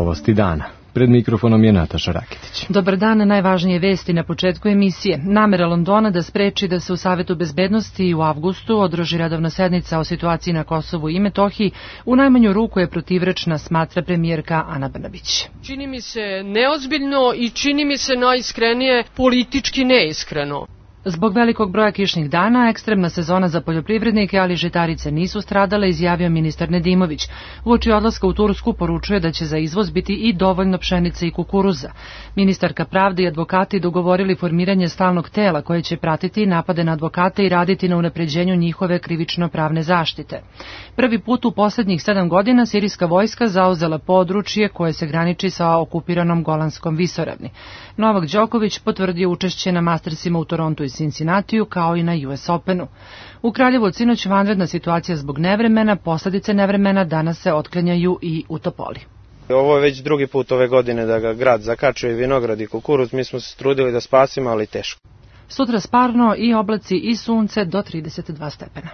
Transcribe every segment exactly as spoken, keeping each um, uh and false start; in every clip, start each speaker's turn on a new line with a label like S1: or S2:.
S1: Novosti dana. Pred mikrofonom je Nataša Raketić.
S2: Dobar dan, najvažnije vesti na početku emisije. Namera Londona da spreči da se u Savetu bezbednosti u avgustu održi redovna sednica o situaciji na Kosovu i Metohiji u najmanju ruku je protivrečna, smatra premijerka Ana Brnabić.
S3: Čini mi se neozbiljno i čini mi se najiskrenije politički neiskreno.
S2: Zbog velikog broja kišnih dana, ekstremna sezona za poljoprivrednike, ali žitarice nisu stradale, izjavio ministar Nedimović. Uoči odlaska u Tursku poručuje da će za izvoz biti i dovoljno pšenice i kukuruza. Ministarka pravde i advokati dogovorili formiranje stalnog tela koje će pratiti napade na advokate i raditi na unapređenju njihove krivično-pravne zaštite. Prvi put u poslednjih sedam godina sirijska vojska zauzela područje koje se graniči sa okupiranom Golanskom visoravni. Novak Đoković potvrdio učešće na Mastersima u Torontu i Cincinnatiju kao i na U S Openu. U Kraljevu od sinoć vanredna situacija zbog nevremena, posledice nevremena danas se otklanjaju i u Topoli.
S4: Ovo je već drugi put ove godine da ga grad zakačuje vinograd i kukuruz, mi smo se trudili da spasimo, ali teško.
S2: Sutra sparno i oblaci i sunce do trideset dva stepena.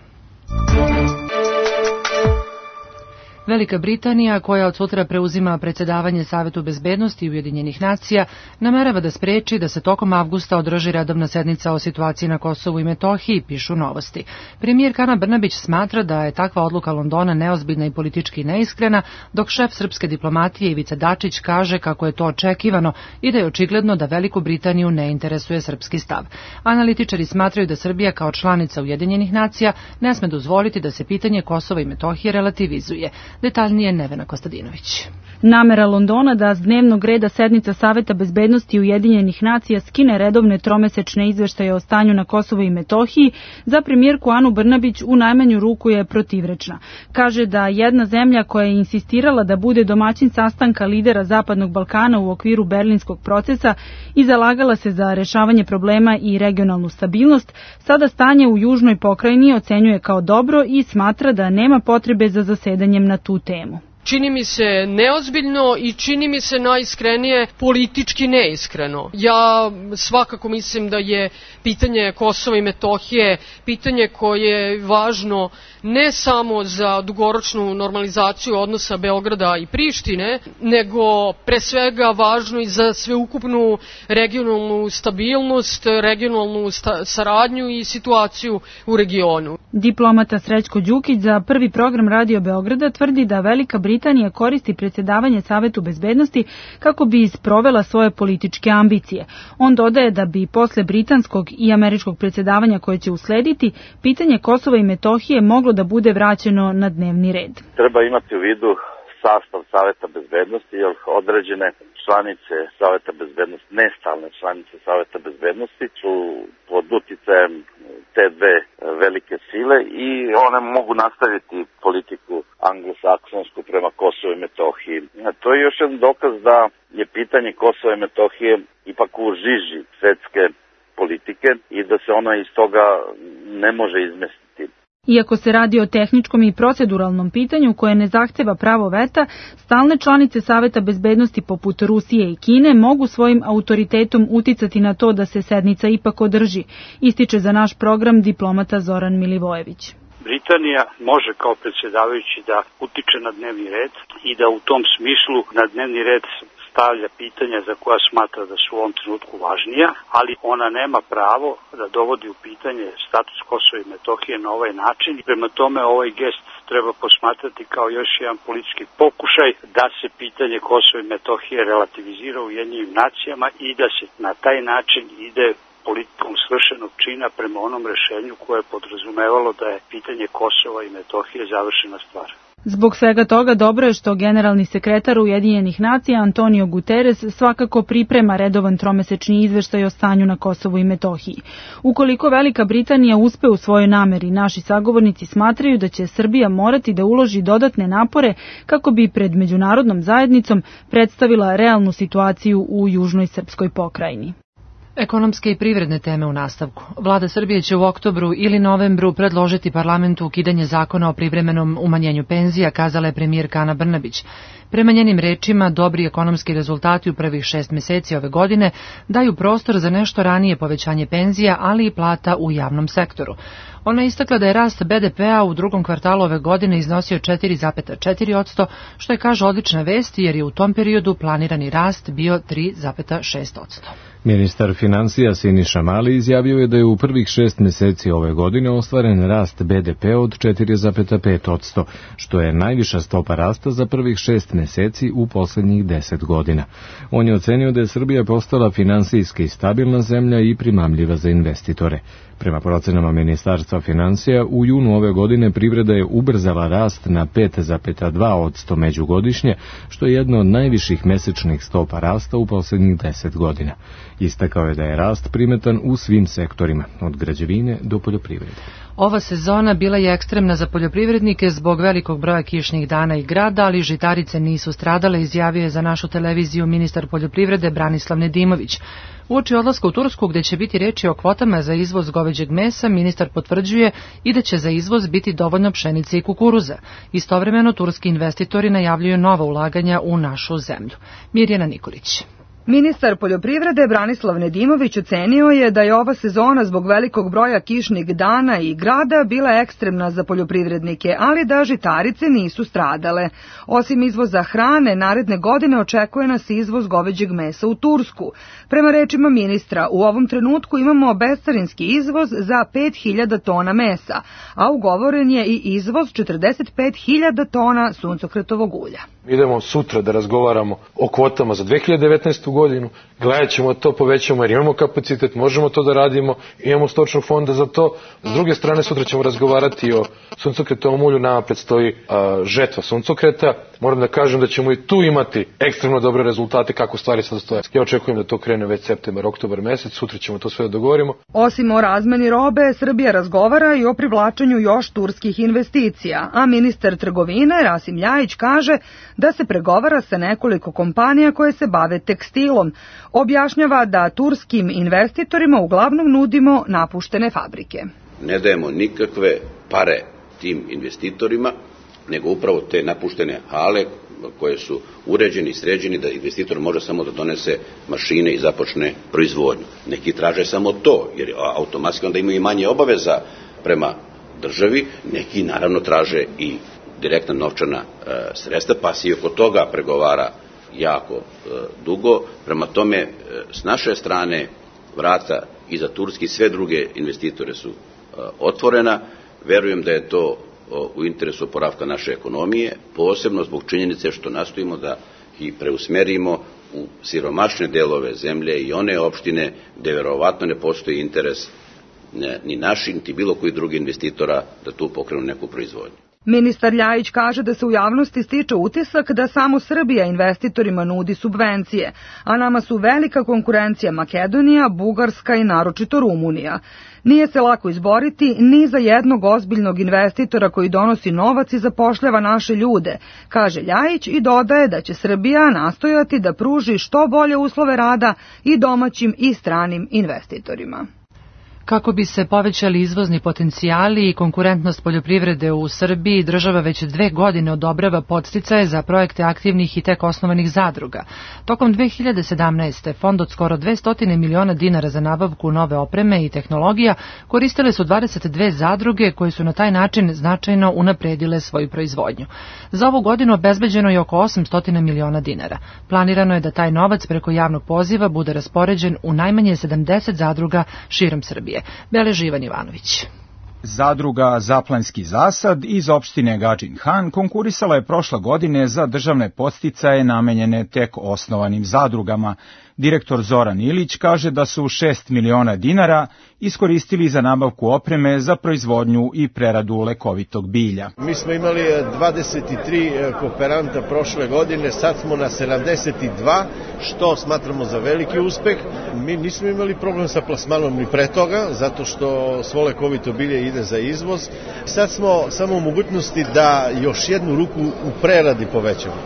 S2: Velika Britanija, koja od sutra preuzima predsjedavanje Savetu bezbednosti Ujedinjenih nacija, namerava da spreči da se tokom avgusta održi redovna sednica o situaciji na Kosovu i Metohiji, pišu Novosti. Premijerka Ana Brnabić smatra da je takva odluka Londona neozbiljna i politički neiskrena, dok šef srpske diplomatije Ivica Dačić kaže kako je to očekivano i da je očigledno da Veliku Britaniju ne interesuje srpski stav. Analitičari smatraju da Srbija kao članica Ujedinjenih nacija ne sme dozvoliti da se pitanje Kosova i Metohije relativizuje. Detaljnije Nevena Kostadinović.
S5: Namera Londona da s dnevnog reda sednica Saveta bezbednosti Ujedinjenih nacija skine redovne tromesečne izveštaje o stanju na Kosovu i Metohiji za premijerku Anu Brnabić u najmanju ruku je protivrečna. Kaže da jedna zemlja koja je insistirala da bude domaćin sastanka lidera Zapadnog Balkana u okviru berlinskog procesa i zalagala se za rešavanje problema i regionalnu stabilnost, sada stanje u južnoj pokrajini ocenjuje kao dobro i smatra da nema potrebe za zasedanjem na tu temu.
S3: Čini mi se neozbiljno i čini mi se najiskrenije politički neiskreno. Ja svakako mislim da je pitanje Kosova i Metohije pitanje koje je važno ne samo za dugoročnu normalizaciju odnosa Beograda i Prištine, nego pre svega važno i za sveukupnu regionalnu stabilnost, regionalnu sta- saradnju i situaciju u regionu.
S5: Diplomata Srećko Đukić za Prvi program Radio Beograda tvrdi da Velika Britanija koristi predsjedavanje Savetu bezbednosti kako bi isprovela svoje političke ambicije. On dodaje da bi posle britanskog i američkog predsjedavanja koje će uslediti, pitanje Kosova i Metohije moglo da bude vraćeno na dnevni red.
S6: Treba imati u vidu sastav Saveta bezbednosti, jer određene članice Saveta bezbednosti, nestalne članice Saveta bezbednosti su pod uticajem te dve velike sile i one mogu nastaviti politiku anglosaksonsku prema Kosovu i Metohiji. To je još jedan dokaz da je pitanje Kosova i Metohije ipak u žiži svetske politike i da se ona iz toga ne može izmestiti.
S5: Iako se radi o tehničkom i proceduralnom pitanju koje ne zahteva pravo veta, stalne članice Saveta bezbednosti poput Rusije i Kine mogu svojim autoritetom uticati na to da se sednica ipak održi, ističe za naš program diplomata Zoran Milivojević.
S7: Britanija može kao predsjedavajući da utiče na dnevni red i da u tom smislu na dnevni red stavlja pitanja za koja smatra da su u ovom trenutku važnija, ali ona nema pravo da dovodi u pitanje status Kosova i Metohije na ovaj način. Prema tome ovaj gest treba posmatrati kao još jedan politički pokušaj da se pitanje Kosova i Metohije relativizira u Ujedinjenim nacijama i da se na taj način ide politikom svršenog čina prema onom rešenju koje je podrazumevalo da je pitanje Kosova i Metohije završena stvar.
S5: Zbog svega toga dobro je što generalni sekretar Ujedinjenih nacija Antonio Guterres svakako priprema redovan tromesečni izveštaj o stanju na Kosovu i Metohiji. Ukoliko Velika Britanija uspe u svojoj nameri, naši sagovornici smatraju da će Srbija morati da uloži dodatne napore kako bi pred međunarodnom zajednicom predstavila realnu situaciju u južnoj srpskoj pokrajini.
S2: Ekonomske i privredne teme u nastavku. Vlada Srbije će u oktobru ili novembru predložiti parlamentu ukidanje zakona o privremenom umanjenju penzija, kazala je premijerka Ana Brnabić. Prema njenim rečima, dobri ekonomski rezultati u prvih šest meseci ove godine daju prostor za nešto ranije povećanje penzija, ali i plata u javnom sektoru. Ona je istakla da je rast be de pea u drugom kvartalu ove godine iznosio četiri zarez četiri posto, što je, kaže, odlična vest jer je u tom periodu planirani rast bio tri zarez šest posto.
S1: Ministar financija Siniša Mali izjavio je da je u prvih šest meseci ove godine ostvaren rast be de pea od četiri zarez pet posto, što je najviša stopa rasta za prvih šest meseci u poslednjih deset godina. On je ocenio da je Srbija postala finansijski stabilna zemlja i primamljiva za investitore. Prema procenama Ministarstva financija, u junu ove godine privreda je ubrzala rast na pet zarez dva posto međugodišnje, što je jedna od najviših mesečnih stopa rasta u poslednjih deset godina. Istakao je da je rast primetan u svim sektorima, od građevine do poljoprivrede.
S2: Ova sezona bila je ekstremna za poljoprivrednike zbog velikog broja kišnih dana i grada, ali žitarice nisu stradale, izjavio je za našu televiziju ministar poljoprivrede Branislav Nedimović. Uoči odlaska u Tursku, gde će biti reči o kvotama za izvoz goveđeg mesa, ministar potvrđuje i da će za izvoz biti dovoljno pšenice i kukuruza. Istovremeno, turski investitori najavljuju nova ulaganja u našu zemlju. Mirjana Nikolić.
S8: Ministar poljoprivrede Branislav Nedimović ocenio je da je ova sezona zbog velikog broja kišnih dana i grada bila ekstremna za poljoprivrednike, ali da žitarice nisu stradale. Osim izvoza hrane, naredne godine očekuje nas izvoz goveđeg mesa u Tursku. Prema rečima ministra, u ovom trenutku imamo bescarinski izvoz za pet hiljada tona mesa, a ugovoren je i izvoz četrdeset pet hiljada tona suncokretovog ulja.
S9: Idemo sutra da razgovaramo o kvotama za dve hiljade devetnaestu godinu, gledat ćemo to, povećamo jer imamo kapacitet, možemo to da radimo, imamo stočnog fonda za to. S druge strane, sutra ćemo razgovarati o suncokretovom ulju, nama predstoji a, žetva suncokreta. Moram da kažem da ćemo i tu imati ekstremno dobre rezultate kako stvari sad stoje. Ja očekujem da to krene već septembar, oktobar mesec, sutra ćemo to sve da dogovorimo.
S8: Osim o razmeni robe, Srbija razgovara i o privlačenju još turskih investicija, a ministar trgovine Rasim Ljajić kaže da se pregovara sa nekoliko kompanija koje se bave tekstilom. Objašnjava da turskim investitorima uglavnom nudimo napuštene fabrike.
S10: Ne dajemo nikakve pare tim investitorima, nego upravo te napuštene hale koje su uređeni i sređeni da investitor može samo da donese mašine i započne proizvodnju. Neki traže samo to, jer automatski onda imaju manje obaveza prema državi, neki naravno traže i direktna novčana e, sredstva, pa se i oko toga pregovara jako e, dugo. Prema tome, e, s naše strane vrata i za turski sve druge investitore su e, otvorena. Verujem da je to o, u interesu oporavka naše ekonomije, posebno zbog činjenice što nastojimo da ih preusmerimo u siromašne delove zemlje i one opštine gde verovatno ne postoji interes ne, ni naši, niti bilo koji drugi investitora da tu pokrenu neku proizvodnju.
S8: Ministar Ljajić kaže da se u javnosti stiče utisak da samo Srbija investitorima nudi subvencije, a nama su velika konkurencija Makedonija, Bugarska i naročito Rumunija. Nije se lako izboriti ni za jednog ozbiljnog investitora koji donosi novac i zapošljava naše ljude, kaže Ljajić i dodaje da će Srbija nastojati da pruži što bolje uslove rada i domaćim i stranim investitorima.
S2: Kako bi se povećali izvozni potencijali i konkurentnost poljoprivrede u Srbiji, država već dve godine odobrava podsticaje za projekte aktivnih i tek osnovanih zadruga. Tokom dve hiljade sedamnaeste. fond od skoro dvesta miliona dinara za nabavku nove opreme i tehnologija koristile su dvadeset dve zadruge koje su na taj način značajno unapredile svoju proizvodnju. Za ovu godinu obezbeđeno je oko osamsto miliona dinara. Planirano je da taj novac preko javnog poziva bude raspoređen u najmanje sedamdeset zadruga širom Srbije. Beleži Ivan Ivanović.
S11: Zadruga Zaplanski zasad iz opštine Gadžin Han konkurisala je prošle godine za državne podsticaje namenjene tek osnovanim zadrugama. Direktor Zoran Ilić kaže da su šest miliona dinara iskoristili za nabavku opreme za proizvodnju i preradu lekovitog bilja.
S12: Mi smo imali dvadeset tri kooperanta prošle godine, sad smo na sedamdeset dva, što smatramo za veliki uspeh. Mi nismo imali problem sa plasmanom ni pre toga, zato što svo lekovito bilje ide za izvoz. Sad smo samo u mogućnosti da još jednu ruku u preradi povećamo.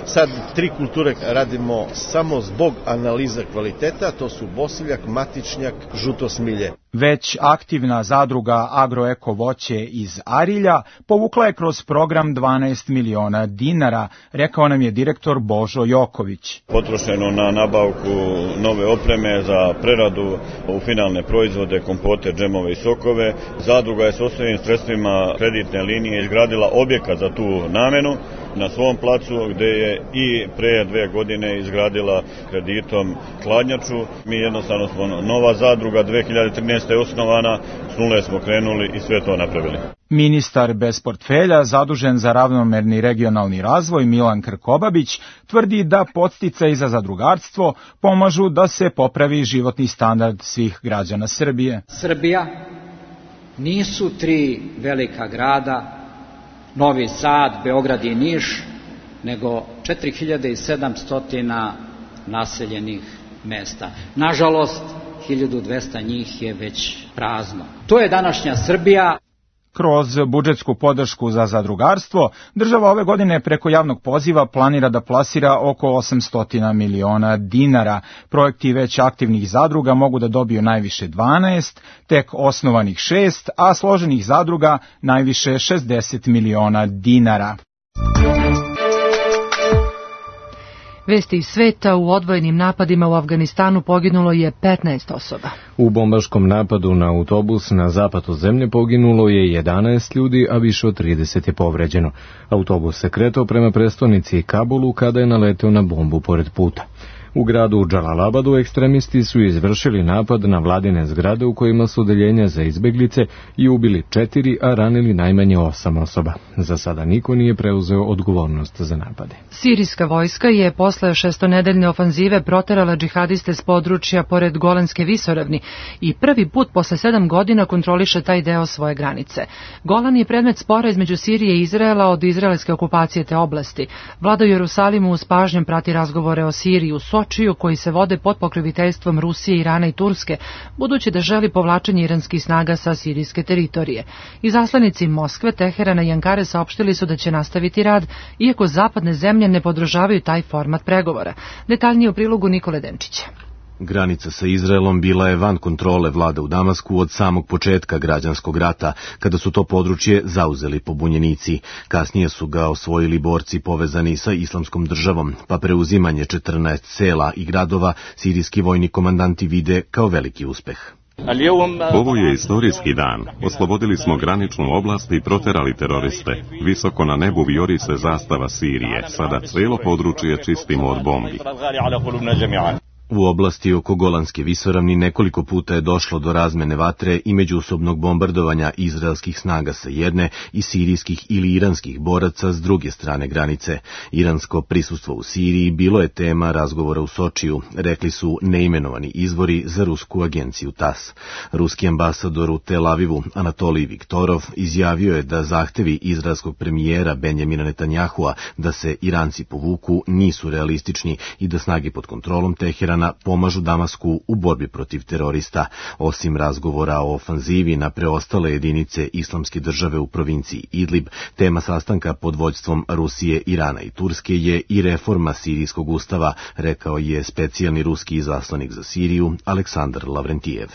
S12: Sad tri kulture radimo samo zbog analize analiza kvaliteta, to su bosiljak, matičnjak, žuto smilje.
S11: Već aktivna zadruga Agroeko voće iz Arilja povukla je kroz program dvanaest miliona dinara, rekao nam je direktor Božo Joković.
S13: Potrošeno na nabavku nove opreme za preradu u finalne proizvode, kompote, džemove i sokove. Zadruga je s osnovnim sredstvima kreditne linije izgradila objekat za tu namenu na svom placu, gde je i pre dve godine izgradila kreditom hladnjaču. Mi jednostavno smo nova zadruga, dve hiljade trinaeste. je osnovana, s nule smo krenuli i sve to napravili.
S11: Ministar bez portfelja, zadužen za ravnomerni regionalni razvoj Milan Krkobabić, tvrdi da podsticaji za zadrugarstvo pomažu da se popravi životni standard svih građana Srbije.
S14: Srbija nisu tri velika grada, Novi Sad, Beograd i Niš, nego četiri hiljade sedamsto naseljenih mesta. Nažalost, hiljadu dvesta njih je već prazno. To je današnja Srbija.
S11: Kroz budžetsku podršku za zadrugarstvo, država ove godine preko javnog poziva planira da plasira oko osamsto miliona dinara. Projekti već aktivnih zadruga mogu da dobiju najviše dvanaest, tek osnovanih šest, a složenih zadruga najviše šezdeset miliona dinara.
S2: Vesti iz sveta: u odvojenim napadima u Afganistanu poginulo je petnaest osoba.
S1: U bombaškom napadu na autobus na zapadu zemlje poginulo je jedanaest ljudi, a više od trideset je povređeno. Autobus se kretao prema prestonici Kabulu kada je naleteo na bombu pored puta. U gradu Džalalabadu ekstremisti su izvršili napad na vladine zgrade u kojima su odeljenja za izbeglice i ubili četiri, a ranili najmanje osam osoba. Za sada niko nije preuzeo odgovornost za napade.
S2: Sirijska vojska je posle šestonedeljne ofanzive proterala džihadiste s područja pored Golanske visoravni i prvi put posle sedam godina kontroliše taj deo svoje granice. Golan je predmet spora između Sirije i Izraela od izraelske okupacije te oblasti. Vlada u Jerusalimu s pažnjom prati razgovore o Siriji u Sočiju, koji se vode pod pokroviteljstvom Rusije, Irana i Turske, budući da želi povlačenje iranskih snaga sa sirijske teritorije. Izaslanici Moskve, Teherana i Ankare saopštili su da će nastaviti rad, iako zapadne zemlje ne podržavaju taj format pregovora. Detaljnije u prilogu Nikole Denčića.
S15: Granica sa Izraelom bila je van kontrole vlada u Damasku od samog početka građanskog rata, kada su to područje zauzeli pobunjenici. Kasnije su ga osvojili borci povezani sa islamskom državom, pa preuzimanje četrnaest sela i gradova sirijski vojni komandanti vide kao veliki uspeh.
S16: Ovo je istorijski dan. Oslobodili smo graničnu oblast i proterali teroriste. Visoko na nebu vijori se zastava Sirije. Sada cijelo područje čistimo od bombi.
S15: U oblasti oko Golanske visoravni nekoliko puta je došlo do razmene vatre i međusobnog bombardovanja izraelskih snaga sa jedne i sirijskih ili iranskih boraca s druge strane granice. Iransko prisustvo u Siriji bilo je tema razgovora u Sočiju, rekli su neimenovani izvori za rusku agenciju TAS. Ruski ambasador u Tel Avivu, Anatolij Viktorov, izjavio je da zahtevi izraelskog premijera Benjamina Netanjahua da se Iranci povuku nisu realistični i da snage pod kontrolom Teherana pomažu Damasku u borbi protiv terorista. Osim razgovora o ofanzivi na preostale jedinice islamske države u provinciji Idlib, tema sastanka pod vođstvom Rusije, Irana i Turske je i reforma sirijskog ustava, rekao je specijalni ruski izaslanik za Siriju Aleksandar Lavrentijev.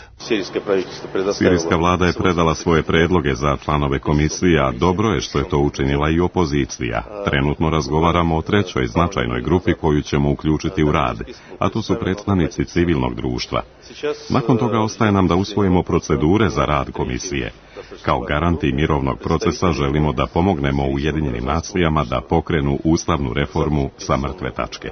S16: Sirijska vlada je predala svoje predloge za članove komisije, a dobro je što je to učinila i opozicija. Trenutno razgovaramo o trećoj značajnoj grupi koju ćemo uključiti u rad, a to su predstavnici civilnog društva. Nakon toga ostaje nam da usvojimo procedure za rad komisije. Kao garanti mirovnog procesa želimo da pomognemo Ujedinjenim nacijama da pokrenu ustavnu reformu sa mrtve tačke.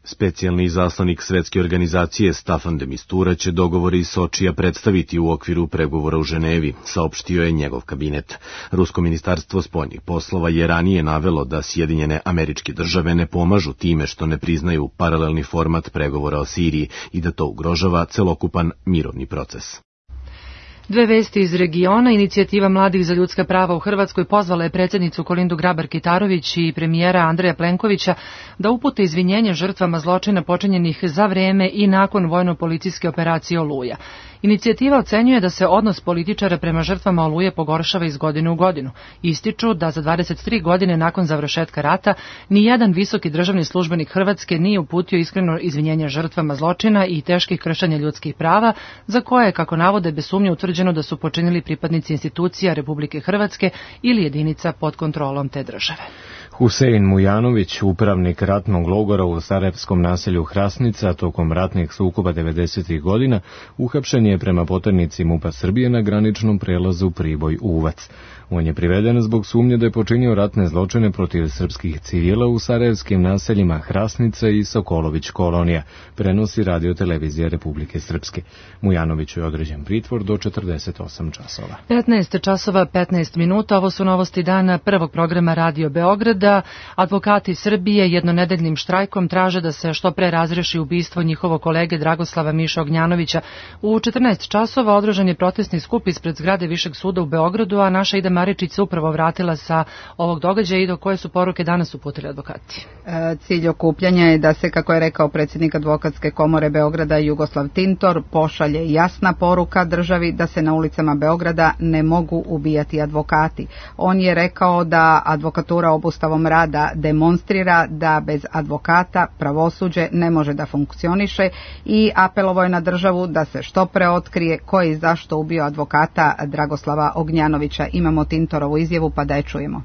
S15: Specijalni izaslanik Svetske organizacije Staffan de Mistura će dogovore iz Sočija predstaviti u okviru pregovora u Ženevi, saopštio je njegov kabinet. Rusko ministarstvo spoljnih poslova je ranije navelo da Sjedinjene Američke Države ne pomažu time što ne priznaju paralelni format pregovora o Siriji i da to ugrožava celokupan mirovni proces.
S2: Dve vesti iz regiona. Inicijativa mladih za ljudska prava u Hrvatskoj pozvala je predsjednicu Kolindu Grabar-Kitarović i premijera Andreja Plenkovića da upute izvinjenje žrtvama zločina počinjenih za vreme i nakon vojno-policijske operacije Oluja. Inicijativa ocenjuje da se odnos političara prema žrtvama Oluje pogoršava iz godine u godinu. Ističu da za dvadeset tri godine nakon završetka rata ni jedan visoki državni službenik Hrvatske nije uputio iskreno izvinjenje žrtvama zločina i teških kršenja ljudskih prava, za koje, kako navode, bez sumnje utvrđeno da su počinili pripadnici institucija Republike Hrvatske ili jedinica pod kontrolom te države.
S1: Husein Mujanović, upravnik ratnog logora u sarajevskom naselju Hrasnica tokom ratnih sukoba devedesetih godina, uhapšen je prema poternici MUP-a Srbije na graničnom prelazu Priboj-Uvac. On je priveden zbog sumnje da je počinio ratne zločine protiv srpskih civila u sarajevskim naseljima Hrasnica i Sokolović kolonija, prenosi Radio-televizija Republike Srpske. Mujanoviću je određen pritvor do četrdeset osam časova.
S2: petnaest časova petnaest minuta, ovo su novosti dana prvog programa Radio Beograda. Advokati Srbije jednonedeljnim štrajkom traže da se što pre razreši ubistvo njihovog kolege Dragoslava Miša Ognjanovića. U četrnaest časova održan je protestni skup ispred zgrade Višeg suda u Beogradu, a naša Ida Maričić se upravo vratila sa ovog događaja. I do koje su poruke danas uputili advokati?
S17: E, cilj okupljanja je da se, kako je rekao predsjednik Advokatske komore Beograda Jugoslav Tintor, pošalje jasna poruka državi da se na ulicama Beograda ne mogu ubijati advokati. On je rekao da advokatura obustavom rada demonstrira da bez advokata pravosuđe ne može da funkcioniše i apelovao je na državu da se što pre otkrije ko je i zašto ubio advokata Dragoslava Ognjanovića. Imamo Tintorovu izjavu, pa da je čujemo.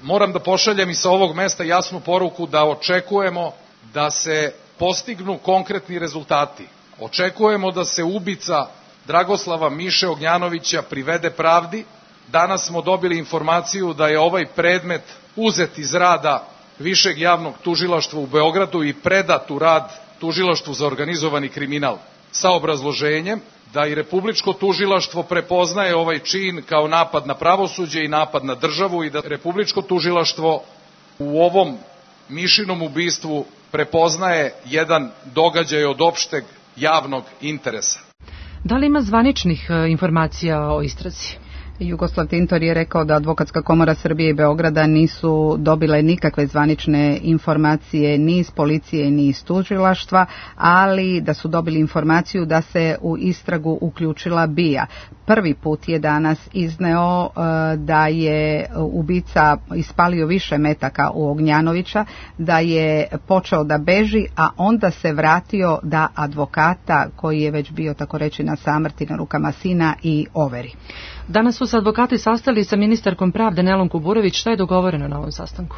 S18: Moram da pošaljem i sa ovog mesta jasnu poruku da očekujemo da se postignu konkretni rezultati. Očekujemo da se ubica Dragoslava Miše Ognjanovića privede pravdi. Danas smo dobili informaciju da je ovaj predmet uzet iz rada Višeg javnog tužilaštva u Beogradu i predat u rad Tužilaštvu za organizovani kriminal sa obrazloženjem da i Republičko tužilaštvo prepoznaje ovaj čin kao napad na pravosuđe i napad na državu i da Republičko tužilaštvo u ovom Mišinom ubistvu prepoznaje jedan događaj od opšteg javnog interesa.
S2: Da li ima zvaničnih informacija o istrazi?
S17: Jugoslav Tintor je rekao da Advokatska komora Srbije i Beograda nisu dobile nikakve zvanične informacije ni iz policije ni iz tužilaštva, ali da su dobili informaciju da se u istragu uključila B I A. Prvi put je danas izneo da je ubica ispalio više metaka u Ognjanovića, da je počeo da beži, a onda se vratio da advokata, koji je već bio tako reći na samrti na rukama sina, i overi.
S2: Danas su se advokati sastali sa ministarkom pravde Nelom Kuburović. Šta je dogovoreno na ovom sastanku?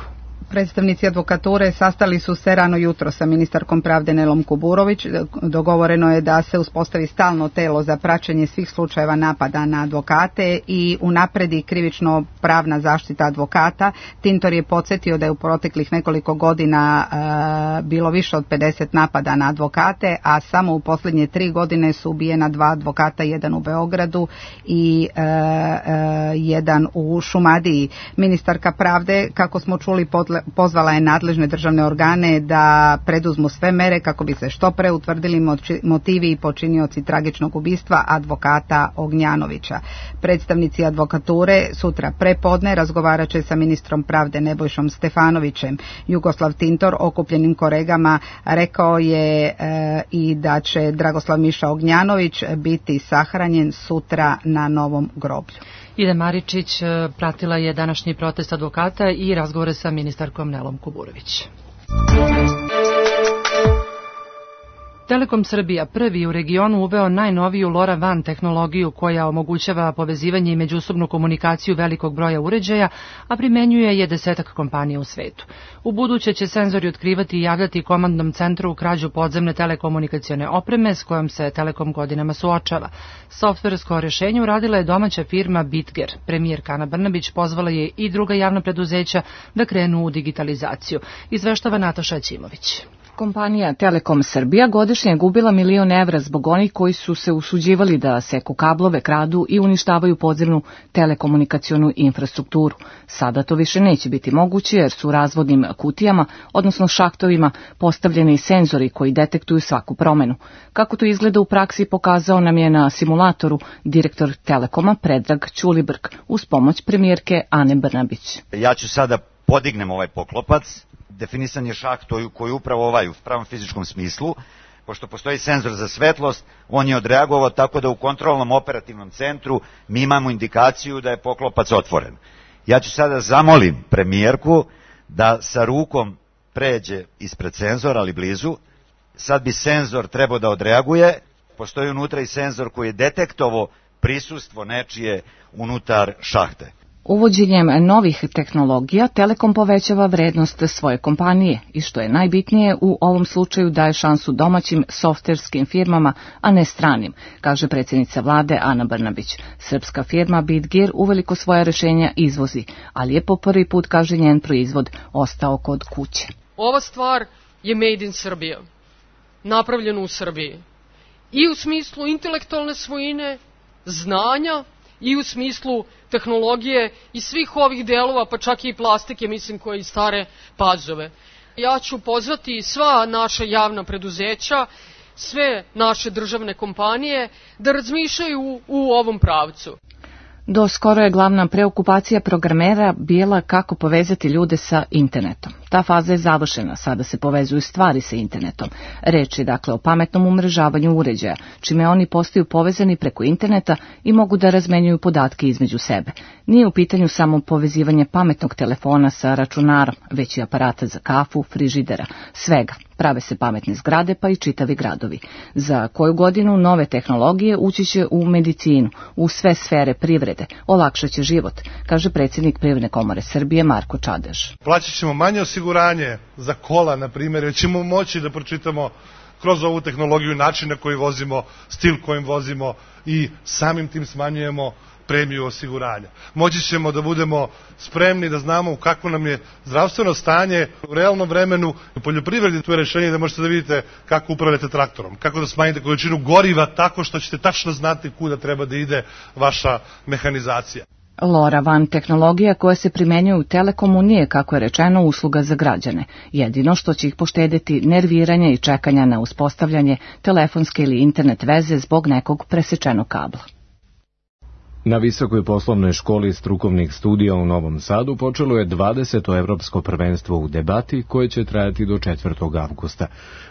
S17: Predstavnici advokature sastali su se rano jutro sa ministarkom pravde Nelom Kuburović. Dogovoreno je da se uspostavi stalno telo za praćenje svih slučajeva napada na advokate i unapredi krivično pravna zaštita advokata. Tintor je podsjetio da je u proteklih nekoliko godina e, bilo više od pedeset napada na advokate, a samo u posljednje tri godine su ubijena dva advokata, jedan u Beogradu i e, e, jedan u Šumadiji. Ministarka pravde, kako smo čuli, podle pozvala je nadležne državne organe da preduzmu sve mere kako bi se što pre utvrdili motivi i počinioci tragičnog ubistva advokata Ognjanovića. Predstavnici advokature sutra prepodne razgovarat će sa ministrom pravde Nebojšom Stefanovićem. Jugoslav Tintor okupljenim kolegama rekao je e, i da će Dragoslav Miša Ognjanović biti sahranjen sutra na Novom groblju.
S2: Ida Maričić pratila je današnji protest advokata i razgovore sa ministarkom Nelom Kuburović. Telekom Srbija prvi u regionu uveo najnoviju LoRaWAN tehnologiju koja omogućava povezivanje i međusobnu komunikaciju velikog broja uređaja, a primenjuje je desetak kompanija u svetu. U buduće će senzori otkrivati i javljati komandnom centru krađu podzemne telekomunikacione opreme s kojom se Telekom godinama suočava. Softversko rješenje uradila je domaća firma Bitger. Premijerka Ana Brnabić pozvala je i druga javna preduzeća da krenu u digitalizaciju. Izveštava Nataša Ćimović.
S19: Kompanija Telekom Srbija godišnje je gubila milion evra zbog onih koji su se usuđivali da seku kablove, kradu i uništavaju podzemnu telekomunikacionu infrastrukturu. Sada to više neće biti moguće jer su u razvodnim kutijama, odnosno šahtovima, postavljeni senzori koji detektuju svaku promenu. Kako to izgleda u praksi pokazao nam je na simulatoru direktor Telekoma Predrag Ćulibrk uz pomoć premijerke Ane Brnabić.
S20: Ja ću sada podignem ovaj poklopac. Definisan je šaht koji je upravo ovaj u pravom fizičkom smislu. pošto postoji senzor za svetlost, on je odreagovao tako da u kontrolnom operativnom centru mi imamo indikaciju da je poklopac otvoren. Ja ću sada zamolim premijerku da sa rukom pređe ispred senzora, ali blizu. Sad bi senzor trebao da odreaguje. Postoji unutra i senzor koji je detektovao prisustvo nečije unutar šahte.
S19: Uvođenjem novih tehnologija Telekom povećava vrednost svoje kompanije i što je najbitnije u ovom slučaju daje šansu domaćim softverskim firmama, a ne stranim, kaže predsjednica vlade Ana Brnabić. Srpska firma Bitgear uveliko svoja rešenja izvozi, ali je po prvi put, kaže, njen proizvod ostao kod kuće.
S3: Ova stvar je made in Srbija, napravljena u Srbiji. I u smislu intelektualne svojine, znanja, i u smislu tehnologije i svih ovih delova, pa čak i plastike, mislim, koje i stare pazove. Ja ću pozvati sva naša javna preduzeća, sve naše državne kompanije da razmišljaju u, u ovom pravcu.
S19: Do skoro je glavna preokupacija programera bila kako povezati ljude sa internetom. Ta faza je završena, sada se povezuju stvari sa internetom. Reč je dakle o pametnom umrežavanju uređaja, čime oni postaju povezani preko interneta i mogu da razmenjuju podatke između sebe. Nije u pitanju samo povezivanje pametnog telefona sa računarom, već i aparata za kafu, frižidera, svega. Prave se pametne zgrade pa i čitavi gradovi. Za koju godinu nove tehnologije ući će u medicinu, u sve sfere privrede, olakšat će život, kaže predsjednik Privredne komore Srbije Marko Čadež.
S21: Plaćat ćemo manje osiguranje za kola, na primjer, jer ćemo moći da pročitamo kroz ovu tehnologiju način na koji vozimo, stil kojim vozimo i samim tim smanjujemo premiju osiguranja. Moći ćemo da budemo spremni, da znamo kako nam je zdravstveno stanje u realnom vremenu. U poljoprivredi tu je rešenje da možete da vidite kako upravljate traktorom, kako da smanjite količinu goriva tako što ćete tačno znati kuda treba da ide vaša mehanizacija.
S19: LoRaWAN tehnologija koja se primenjuje u Telekomu nije, kako je rečeno, usluga za građane. Jedino što će ih poštediti nerviranja i čekanja na uspostavljanje telefonske ili internet veze zbog nekog presečenog kabla.
S1: Na Visokoj poslovnoj školi strukovnih studija u Novom Sadu počelo je dvadeseto evropsko prvenstvo u debati koje će trajati do četvrtog avgusta.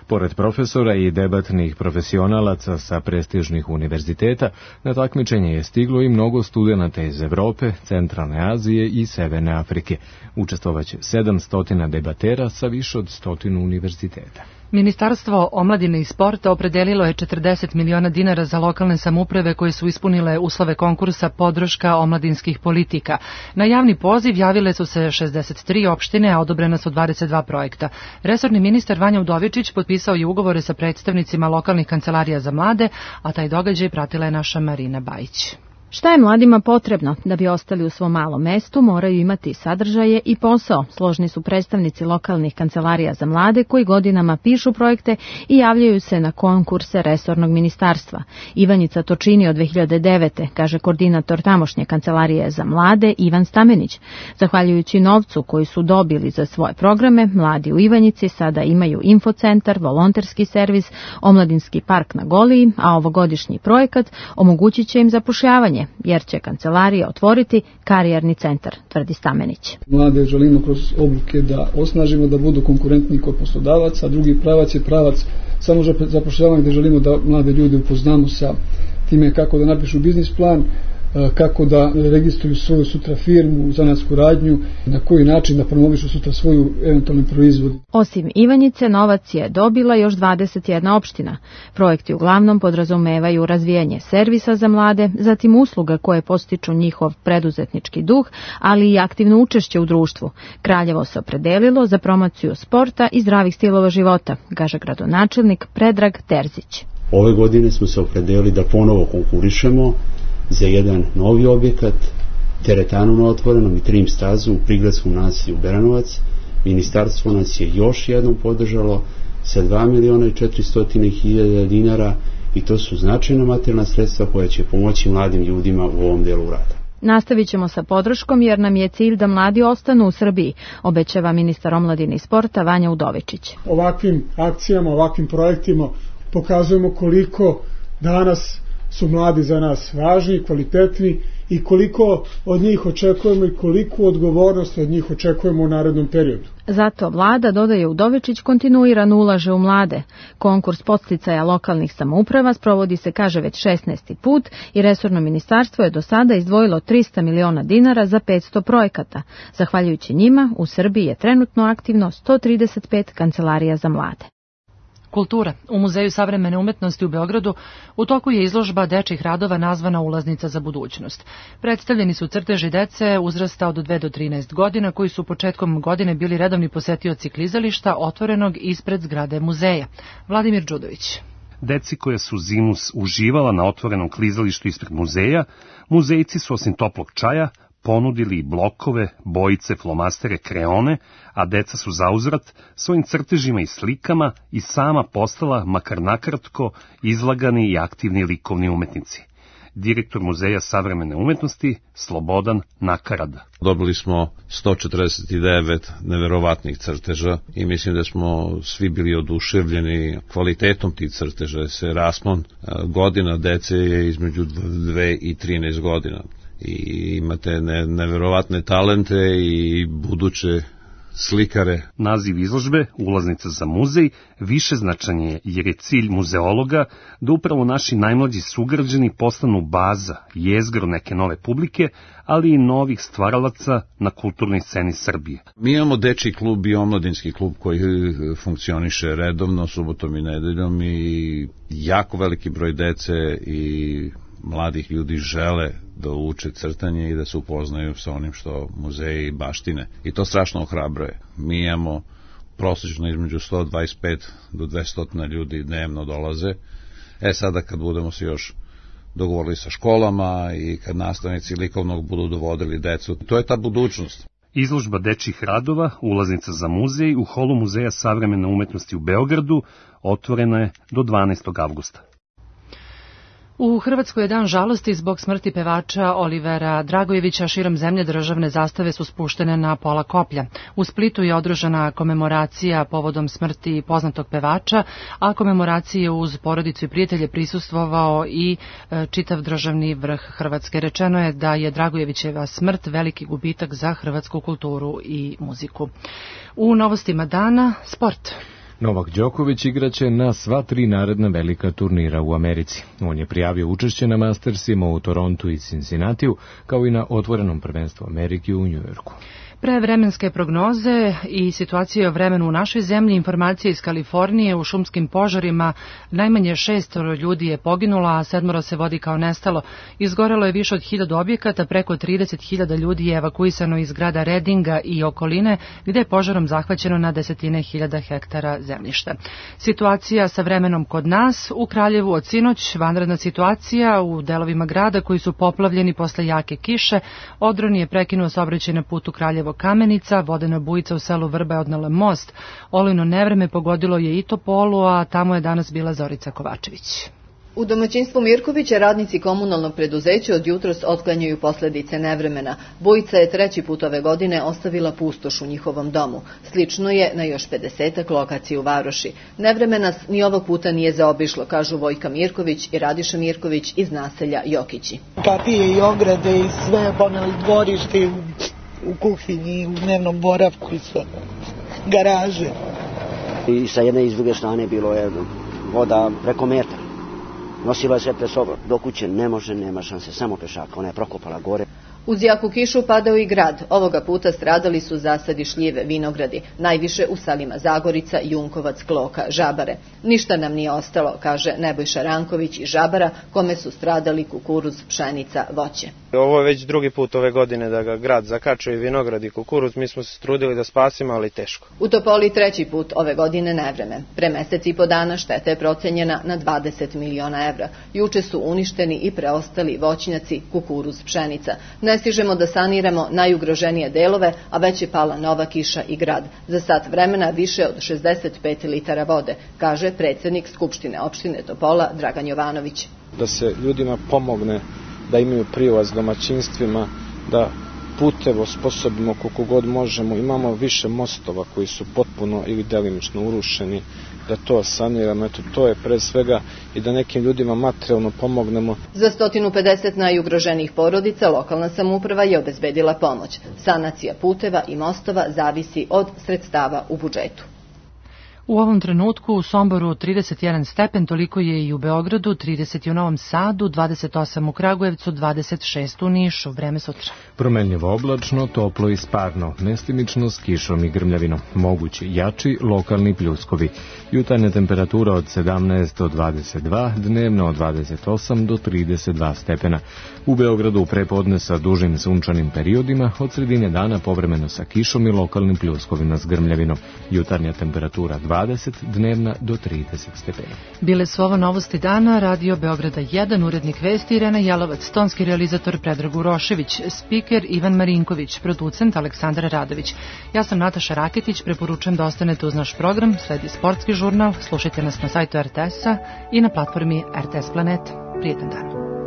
S1: Pored profesora i debatnih profesionalaca sa prestižnih univerziteta, na takmičenje je stiglo i mnogo studenata iz Evrope, Centralne Azije i Severne Afrike. Učestvovaće sedamsto debatera sa više od stotinu univerziteta.
S2: Ministarstvo omladine i sporta opredelilo je četrdeset miliona dinara za lokalne samouprave koje su ispunile uslove konkursa podrška omladinskih politika. Na javni poziv javile su se šezdeset tri opštine, a odobrena su dvadeset dva projekta. Resorni ministar Vanja Udovičić potpisao je ugovore sa predstavnicima lokalnih kancelarija za mlade, a taj događaj pratila je naša Marina Bajić.
S22: Šta je mladima potrebno? Da bi ostali u svom malom mestu, moraju imati sadržaje i posao. Složni su predstavnici lokalnih kancelarija za mlade koji godinama pišu projekte i javljaju se na konkurse resornog ministarstva. Ivanjica to čini od dve hiljade devete, kaže koordinator tamošnje kancelarije za mlade Ivan Stamenić. Zahvaljujući novcu koji su dobili za svoje programe, mladi u Ivanjici sada imaju infocentar, volonterski servis, omladinski park na Goliji, a ovogodišnji projekat omogućit će im zapošljavanje, jer će kancelarija otvoriti karijerni centar, tvrdi Stamenić.
S23: Mlade želimo kroz obuke da osnažimo, da budu konkurentni kod poslodavaca, a drugi pravac je pravac samo zapošljavanja gde želimo da mlade ljude upoznamo sa time kako da napišu biznis plan, kako da registruju svoju sutra firmu, zanatsku radnju, na koji način da promovišu sutra svoju eventualni proizvod.
S22: Osim Ivanjice, novac je dobila još dvadeset jedna opština. Projekti uglavnom podrazumevaju razvijanje servisa za mlade, zatim usluga koje postiču njihov preduzetnički duh, ali i aktivno učešće u društvu. Kraljevo se opredelilo za promociju sporta i zdravih stilova života, kaže gradonačelnik Predrag Terzić.
S24: Ove godine smo se opredelili da ponovo konkurišemo za jedan novi objekat, teretanu na otvorenom i trim stazu u prigradskom naselju Beranovac. Ministarstvo nas je još jednom podržalo sa dva miliona i četiristo hiljada dinara i to su značajna materijalna sredstva koja će pomoći mladim ljudima u ovom delu rada.
S22: Nastavit ćemo sa podrškom jer nam je cilj da mladi ostanu u Srbiji, obećava ministar omladine i sporta Vanja Udovičić.
S23: Ovakvim akcijama, ovakvim projektima pokazujemo koliko danas su mladi za nas važni, kvalitetni i koliko od njih očekujemo i koliku odgovornost od njih očekujemo u narednom periodu.
S22: Zato vlada, dodaje Udovičić, kontinuirano ulaže u mlade. Konkurs podsticaja lokalnih samouprava sprovodi se, kaže, već šesnaesti put i resorno ministarstvo je do sada izdvojilo trista miliona dinara za petsto projekata. Zahvaljujući njima, u Srbiji je trenutno aktivno sto trideset pet kancelarija za mlade.
S2: Kultura. U Muzeju savremene umetnosti u Beogradu u toku je izložba dečjih radova nazvana Ulaznica za budućnost. Predstavljeni su crteži dece uzrasta od dve do trinaest godina koji su početkom godine bili redovni posetioci klizališta otvorenog ispred zgrade muzeja. Vladimir Đudović.
S4: Deci koja su zimu uživala na otvorenom klizalištu ispred muzeja, muzejci su osim toplog čaja ponudili blokove, bojice, flomastere, kreone, a deca su zauzvrat svojim crtežima i slikama i sama postala, makar nakratko, izlagani i aktivni likovni umetnici. Direktor Muzeja savremene umetnosti Slobodan Nakarada.
S5: Dobili smo sto četrdeset devet neverovatnih crteža i mislim da smo svi bili oduševljeni kvalitetom tih crteža. Se raspon godina dece je između dve i trinaest godina. I imate ne, neverovatne talente i buduće slikare.
S4: Naziv izložbe, Ulaznica za muzej, više značan je jer je cilj muzeologa da upravo naši najmlađi sugrađani postanu baza, jezgro neke nove publike, ali i novih stvaralaca na kulturnoj sceni Srbije.
S5: Mi imamo dečiji klub i omladinski klub koji funkcioniše redovno, subotom i nedeljom i jako veliki broj dece i mladih ljudi žele da uče crtanje i da se upoznaju sa onim što muzeji baštine. I to strašno ohrabruje. Mi imamo prosječno između sto dvadeset pet do dvesta ljudi dnevno dolaze. E sada kad budemo se još dogovorili sa školama i kad nastavnici likovnog budu dovodili decu, to je ta budućnost.
S4: Izložba dečjih radova, Ulaznica za muzej u holu Muzeja savremene umetnosti u Beogradu otvorena je do dvanaestog avgusta.
S2: U Hrvatskoj je dan žalosti zbog smrti pevača Olivera Dragojevića. Širom zemlje državne zastave su spuštene na pola koplja. U Splitu je održana komemoracija povodom smrti poznatog pevača, a komemoracije uz porodicu i prijatelje prisustvovao i e, čitav državni vrh Hrvatske. Rečeno je da je Dragojevićeva smrt veliki gubitak za hrvatsku kulturu i muziku. U novostima dana, sport.
S1: Novak Đoković igraće na sva tri naredna velika turnira u Americi. On je prijavio učešće na Mastersima u Torontu i Cincinnatiju, kao i na otvorenom prvenstvu Amerike u Njujorku.
S2: Pre vremenske prognoze i situacije o vremenu u našoj zemlji, informacije iz Kalifornije, u šumskim požarima najmanje šestoro ljudi je poginulo, a sedmoro se vodi kao nestalo. Izgorelo je više od hiljadu objekata, preko trideset hiljada ljudi je evakuisano iz grada Redinga i okoline, gde je požarom zahvaćeno na desetine hiljada hektara zemljišta. Situacija sa vremenom kod nas, u Kraljevu od sinoć, vanredna situacija u delovima grada koji su poplavljeni posle jake kiše. Odron je prekinuo saobraćaj na putu Kraljevo Kamenica, vodena bujica u selu Vrba je odnela most. Olujno nevreme pogodilo je i Topolu, a tamo je danas bila Zorica Kovačević.
S6: U domaćinstvu Mirkovića radnici komunalnog preduzeća od jutros otklanjaju posledice nevremena. Bujica je treći put ove godine ostavila pustoš u njihovom domu. Slično je na još pedesetak lokacija u Varoši. Nevremena ni ovog puta nije zaobišlo, kažu Vojka Mirković i Radiša Mirković iz naselja Jokići.
S7: Kapije i ograde i sve, poneli dvorište u, u kuhinji, u dnevnom boravku i sve, garaže.
S25: I sa jedne i s druge strane bilo je voda preko metra. Nosila se pre sobom. Do kuće ne može, nema šanse, samo pešaka. Ona je prokopala gore.
S6: Uz jaku kišu padao i grad. Ovoga puta stradali su zasadi šljive, vinogradi. Najviše u selima Zagorica, Junkovac, Kloka, Žabare. Ništa nam nije ostalo, kaže Nebojša Ranković iz Žabara, kome su stradali kukuruz, pšenica, voće.
S26: Ovo je već drugi put ove godine da ga grad zakačuje vinograd i kukuruz. Mi smo se trudili da spasimo, ali teško.
S6: U Topoli treći put ove godine nevreme. Pre mesec i po dana šteta je procenjena na dvadeset miliona evra. Juče su uništeni i preostali voćnjaci, kukuruz, pšenica. Ne stižemo da saniramo najugroženije delove, a već je pala nova kiša i grad. Za sat vremena više od šezdeset pet litara vode, kaže predsjednik Skupštine opštine Topola Dragan Jovanović.
S26: Da se ljudima pomogne, da imaju prilaz domaćinstvima, da
S8: puteve osposobimo koliko god možemo. Imamo više mostova koji su potpuno ili delimično urušeni, da to saniramo. Eto, to je pre svega i da nekim ljudima materijalno pomognemo.
S6: Za sto pedeset najugroženijih porodica lokalna samouprava je obezbedila pomoć. Sanacija puteva i mostova zavisi od sredstava u budžetu.
S2: U ovom trenutku u Somboru trideset jedan stepen, toliko je i u Beogradu, trideset u Novom Sadu, dvadeset osam u Kragujevcu, dvadeset šest u Nišu. Vreme sutra.
S1: Promenljivo oblačno, toplo i sparno, mestimično s kišom i grmljavinom. Mogući jači lokalni pljuskovi. Jutarnja temperatura od sedamnaest do dvadeset dva, dnevno od dvadeset osam do trideset dva stepena. U Beogradu prepodne sa dužim sunčanim periodima, od sredine dana povremeno sa kišom i lokalnim pljuskovima s grmljavinom. Jutarnja temperatura dvadeset, dnevna do trideset stepena.
S2: Bile su ovo novosti dana, Radio Beograda jedan, urednik vesti Irena Jelovac, tonski realizator Predrag Urošević, spiker Ivan Marinković, producent Aleksandar Radović. Ja sam Nataša Raketić, preporučujem da ostanete uz naš program, sledi sportski žurnal, slušajte nas na sajtu er te esa i na platformi er te es Planeta. Prijetan dan.